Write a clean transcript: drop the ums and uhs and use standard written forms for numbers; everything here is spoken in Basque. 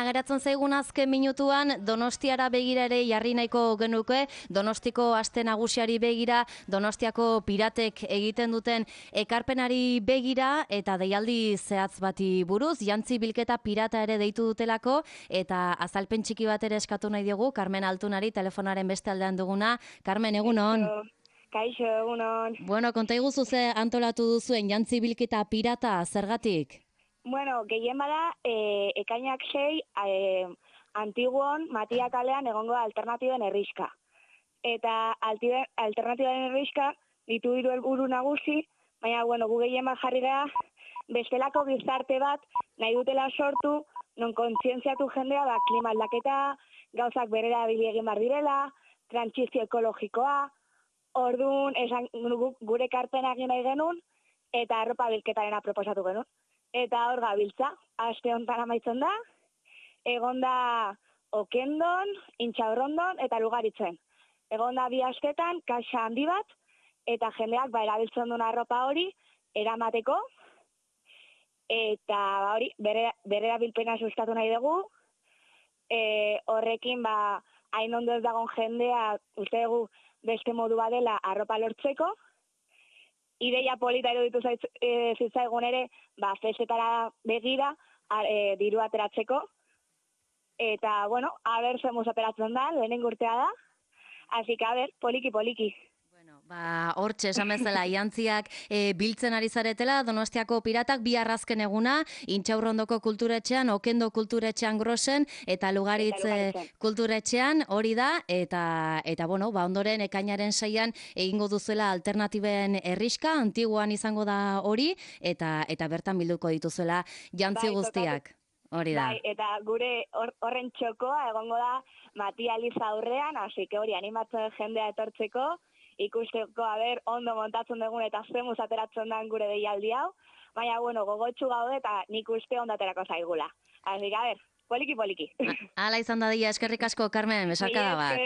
geratzen zaigun azken minutuan Donostiara begira ere jarri nahiko genuke, Donostiko aste nagusiari begira, Donostiako piratek egiten duten ekarpenari begira eta deialdi zehatz bati buruz, jantzi bilketa pirata ere deitu dutelako eta azalpen txiki bat ere eskatu nahi diogu Carmen Altunari telefonaren beste aldean duguna. Carmen, egunon. Kaixo, egunon. Bueno, konta iguzu ze antolatu duzuen jantzi bilketa pirata, zergatik? Bueno, gehien bada, ekainak 6, Antiguon, Matia kalean egongo alternatiben herriska. Eta alternatiben herriska ditu 3 helburu nagusi, baina, bueno, gu gehien bat jarri gara, bestelako gizarte bat nahi dutela sortu, non kontzientziatu jendea, klima aldaketa, gauzak berera egin bar direla, trantsizio ekologikoa, orduan, gure ekarpena egin nahi genuen, eta arropa bilketarena proposatu genuen. Eta hor gabiltza, aste honetan amaitzen da, egon da Okendon, Intxaurrondon eta Lugaritzen. Egon da 2 astetan, kaxa handi bat, eta jendeak erabiltzen duen arropa hori eramateko, eta hori, bere erabilpena sustatu nahi dugu, horrekin hain ondo ez dagoen jendea, uste dugu beste modu badela arropa lortzeko, ideia polita eruditu zitzaigun ere, festetara begira, diru ateratzeko. Eta, bueno, aber zemuz operatzen da, lehenengo urtea da. Así que, poliki. Bueno, hortxe esan bezala, jantziak biltzen ari zaretela, Donostiako piratak 2 arrazken eguna, Intxaurrondoko kulturetxean, Okendo kulturetxean Grosen, eta Lugaritz kulturetxean, hori da, eta bueno, ondoren ekainaren 6an egingo duzuela alternatiben herriska, Antiguan izango da hori, eta bertan bilduko dituzuela jantzi guztiak. Hori da. Bai, eta gure horren txokoa egongo da Matia Liza aurrean, hasi que hori animatzen jendea etortzeko, ikusteko ondo montatzen dugun eta zemuz ateratzen den gure deialdi hau, baina, bueno, gogotsu gaude eta nik uste ondo aterako zaigula. Así que, poliki. Hala izan da dia, eskerrik asko, Carmen, besarkada bat.